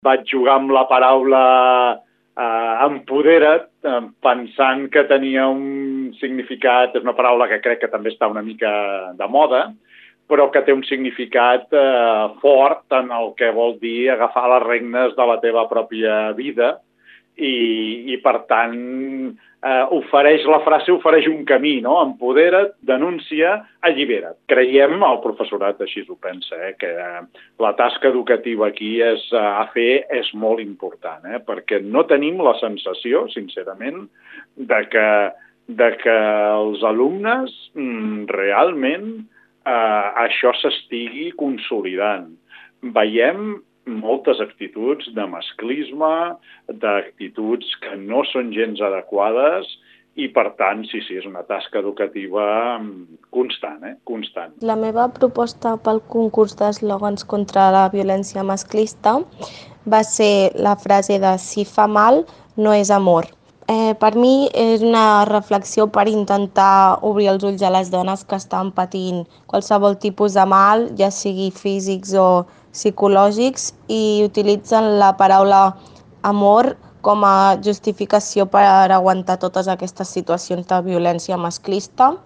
vaig jugar amb la paraula empodera't, pensant que tenia un significat, és una paraula que crec que també està una mica de moda, però que té un significat fort en el que vol dir agafar les regnes de la teva pròpia vida i per tant, la frase ofereix un camí, no? Empodera't, denuncia, allibera't. Creiem, el professorat així ho pensa, que la tasca educativa aquí a fer és molt important, perquè no tenim la sensació, sincerament, de que els alumnes realment això s'estigui consolidant. Veiem moltes actituds de masclisme, d'actituds que no són gens adequades i, per tant, sí, és una tasca educativa constant, constant. La meva proposta pel concurs d'eslògans contra la violència masclista va ser la frase de "si fa mal, no és amor". Per mi és una reflexió per intentar obrir els ulls a les dones que estan patint qualsevol tipus de mal, ja sigui físics o psicològics, i utilitzen la paraula amor com a justificació per aguantar totes aquestes situacions de violència masclista.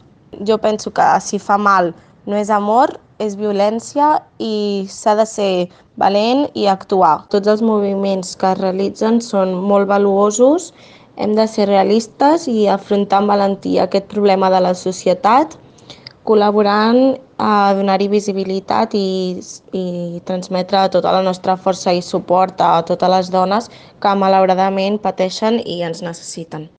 Jo penso que si fa mal no és amor, és violència i s'ha de ser valent i actuar. Tots els moviments que es realitzen són molt valuosos, hem de ser realistes i afrontar amb valentia aquest problema de la societat, col·laborant a donar-hi visibilitat i transmetre tota la nostra força i suport a totes les dones que malauradament pateixen i ens necessiten.